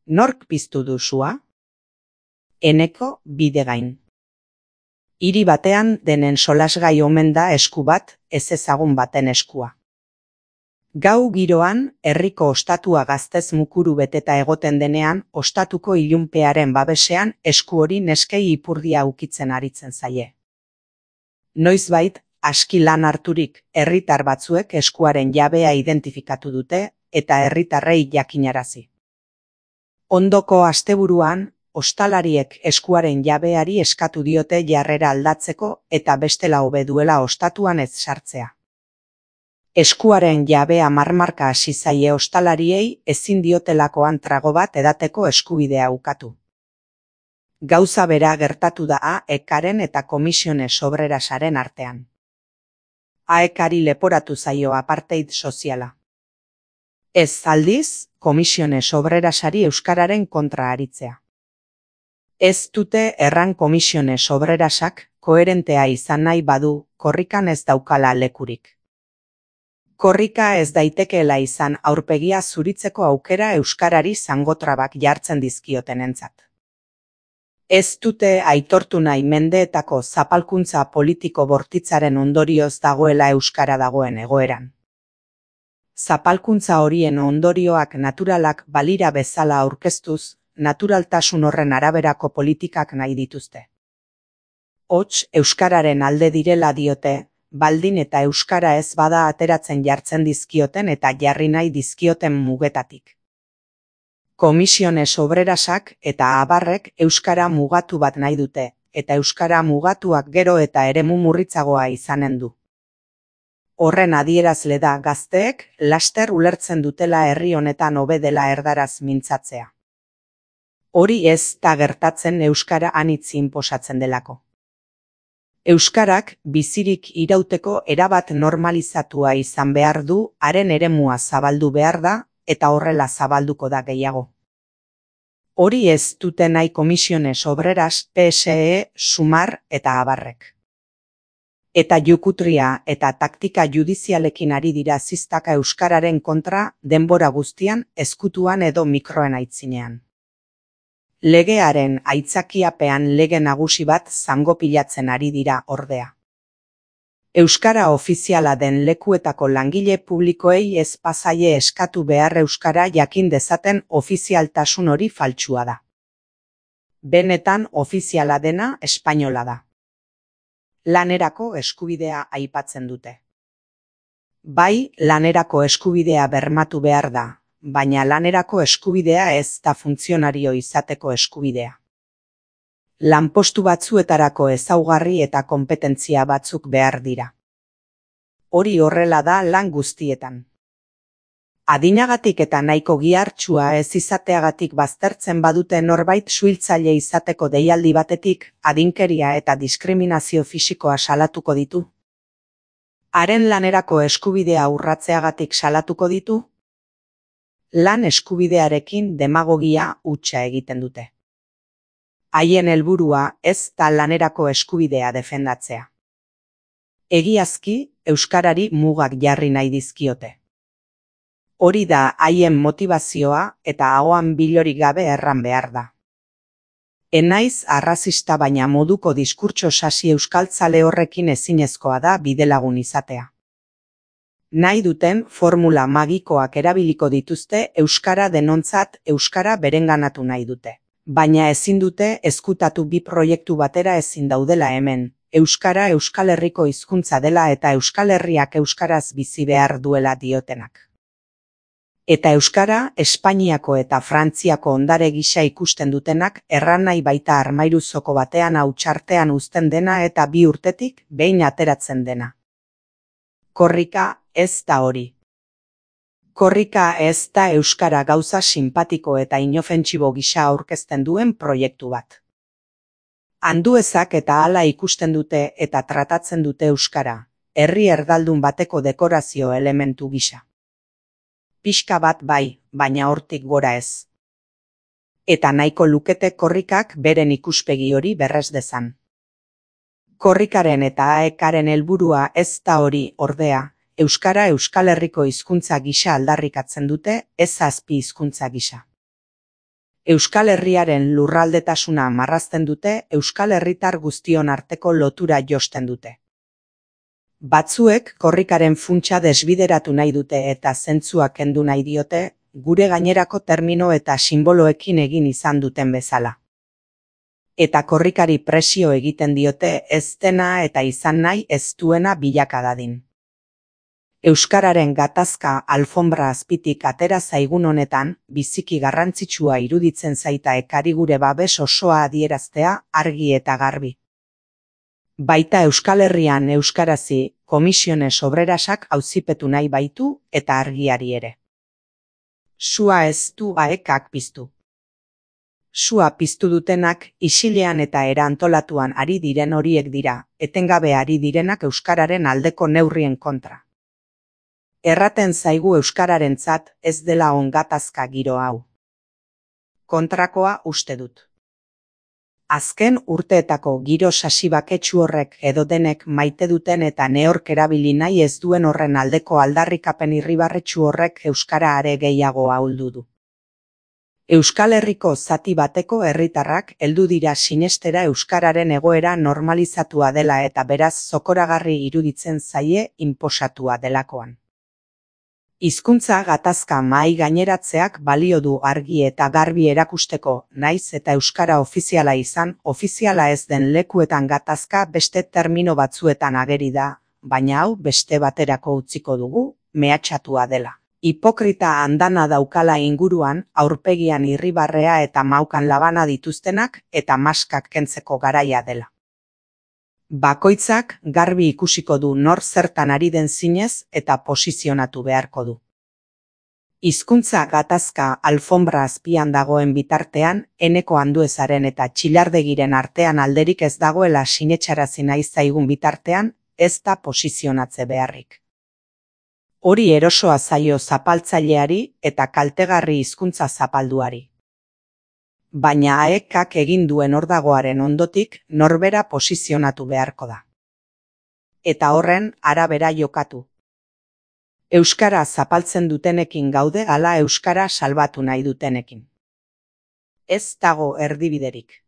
Nork piztu du sua? Eneko Bidegain. Hiri batean denen solasgai omen da esku bat, ezezagun baten eskua. Gau giroan, herriko ostatua gaztez mukuru beteta egoten denean, ostatuko ilunpearen babesean esku hori neskei ipurdia ukitzen aritzen zaie. Noizbait, aski lan harturik, herritar batzuek eskuaren jabea identifikatu dute eta herritarrei jakinarazi. Ondoko asteburuan, ostalariek eskuaren jabeari eskatu diote jarrera aldatzeko eta bestela hobe duela ostatuan ez sartzea. Eskuaren jabea marmarka hasi zaie ostalariei ezin diotelakoan trago bat edateko eskubidea ukatu. Gauza bera gertatu da AEKaren eta Komisiones Obrerasaren artean. AEKari leporatu zaio apartheid soziala. Ez aldiz, Komisiones Obrerasari euskararen kontra aritzea. Ez dute erran Komisiones Obrerasak koherentea izan nahi badu, korrikan ez daukala lekurik. Korrika ez daitekeela izan aurpegia zuritzeko aukera euskarari zangotrabak jartzen dizkiotenentzat. Ez dute aitortu nahi mendeetako zapalkuntza politiko bortitzaren ondorioz dagoela euskara dagoen egoeran. Zapalkuntza horien ondorioak naturalak balira bezala aurkeztuz, naturaltasun horren araberako politikak nahi dituzte. Hots, euskararen alde direla diote, baldin eta euskara ez bada ateratzen jartzen dizkioten eta jarri nahi dizkioten mugetatik. Komisiones Obrerasak eta abarrek euskara mugatu bat nahi dute, eta euskara mugatuak gero eta eremu murritzagoa izanen du. Horren adierazle da gazteek laster ulertzen dutela herri honetan hobe dela erdaraz mintzatzea. Hori ez da gertatzen euskara anitz inposatzen delako. Euskarak bizirik irauteko erabat normalizatua izan behar du, haren eremua zabaldu behar da, eta horrela zabalduko da gehiago. Hori ez dute nahi Komisiones Obreras, PSE, Sumar eta abarrek. Eta jukutria eta taktika judizialekin ari dira ziztaka euskararen kontra denbora guztian, ezkutuan edo mikroen aitzinean. Legearen aitzakiapean lege nagusi bat zangopilatzen ari dira ordea. Euskara ofiziala den lekuetako langile publikoei ez pasaie eskatu behar euskara jakin dezaten ofizialtasun hori faltsua da. Benetan ofiziala dena espainola da. Lanerako eskubidea aipatzen dute. Bai, lanerako eskubidea bermatu behar da, baina lanerako eskubidea ez da funtzionario izateko eskubidea. Lanpostu batzuetarako ezaugarri eta konpetentzia batzuk behar dira. Hori horrela da lan guztietan. Adinagatik eta nahiko gihartsua ez izateagatik baztertzen badute norbait suhiltzaile izateko deialdi batetik, adinkeria eta diskriminazio fisikoa salatuko ditu. Haren lanerako eskubidea urratzeagatik salatuko ditu. Lan eskubidearekin demagogia hutsa egiten dute. Haien helburua ez da lanerako eskubidea defendatzea. Egiazki, euskarari mugak jarri nahi dizkiote. Hori da haien motivazioa eta ahoan bilorik gabe erran behar da. Enaiz arrazista baina moduko diskurtso sasi euskaltzale horrekin ezinezkoa da bidelagun izatea. Nahi duten formula magikoak erabiliko dituzte euskara denontzat euskara berenganatu nahi dute. Baina ezin dute ezkutatu bi proiektu batera ezin daudela hemen. Euskara Euskal Herriko hizkuntza dela eta Euskal Herriak euskaraz bizi behar duela diotenak. Eta euskara Espainiako eta Frantziako ondare gisa ikusten dutenak erran nahi baita armairuzoko batean hautsartean uzten dena eta 2 urtetik behin ateratzen dena. Korrika ez da hori. Korrika ez da euskara gauza sinpatiko eta inofentsibo gisa aurkezten duen proiektu bat. Anduezak eta hala ikusten dute eta tratatzen dute euskara, herri erdaldun bateko dekorazio elementu gisa. Pixka bat bai, baina hortik gora ez. Eta nahiko lukete korrikak beren ikuspegi hori berrez dezan. Korrikaren eta AEKaren helburua ez da hori ordea, euskara Euskal Herriko hizkuntza gisa aldarrikatzen dute, ez azpi hizkuntza gisa. Euskal Herriaren lurraldetasuna marrazten dute, Euskal Herritar guztion arteko lotura josten dute. Batzuek korrikaren funtsa desbideratu nahi dute eta zentzua kendu nahi diote, gure gainerako termino eta sinboloekin egin izan duten bezala. Eta korrikari presio egiten diote ez dena eta izan nahi ez duena bilaka dadin. Euskararen gatazka alfombra azpitik atera zaigun honetan, biziki garrantzitsua iruditzen zaita ekari gure babes osoa adieraztea argi eta garbi. Baita Euskal Herrian euskarazi Komisiones Obrerasak auzipetu nahi baitu eta argiari ere. Sua ez du aekak piztu. Sua piztu dutenak isilean eta era antolatuan ari diren horiek dira, etengabe ari direnak euskararen aldeko neurrien kontra. Erraten zaigu euskararentzat ez dela on gatazka giro hau. Kontrakoa uste dut. Azken urteetako giro sasibaketsu horrek edo denek maite duten eta neork erabili nahi ez duen horren aldeko aldarrikapen irribarretsu horrek euskara are gehiago ahuldu du. Euskal Herriko zati bateko herritarrak heldu dira sinestera euskararen egoera normalizatua dela eta beraz zokoragarri iruditzen zaie inposatua delakoan. Hizkuntza gatazka mahai gaineratzeak balio du argi eta garbi erakusteko, naiz eta euskara ofiziala izan, ofiziala ez den lekuetan gatazka beste termino batzuetan ageri da, baina hau beste baterako utziko dugu, mehatxatua dela. Hipokrita andana daukala inguruan, aurpegian irribarrea eta maukan labana dituztenak eta maskak kentzeko garaia dela. Bakoitzak garbi ikusiko du nor zertan ari den zinez eta posizionatu beharko du. Hizkuntza gatazka alfombra azpian dagoen bitartean, Eneko Anduezaren eta Txilardegiren artean alderik ez dagoela sinetxarazi nahi zaigun bitartean, ez da posizionatze beharrik. Hori erosoa zaio zapaltzaileari eta kaltegarri hizkuntza zapalduari. Baina aekak egin duen ordagoaren ondotik norbera posizionatu beharko da. Eta horren arabera jokatu. Euskara zapaltzen dutenekin gaude ala euskara salbatu nahi dutenekin. Ez dago erdibiderik.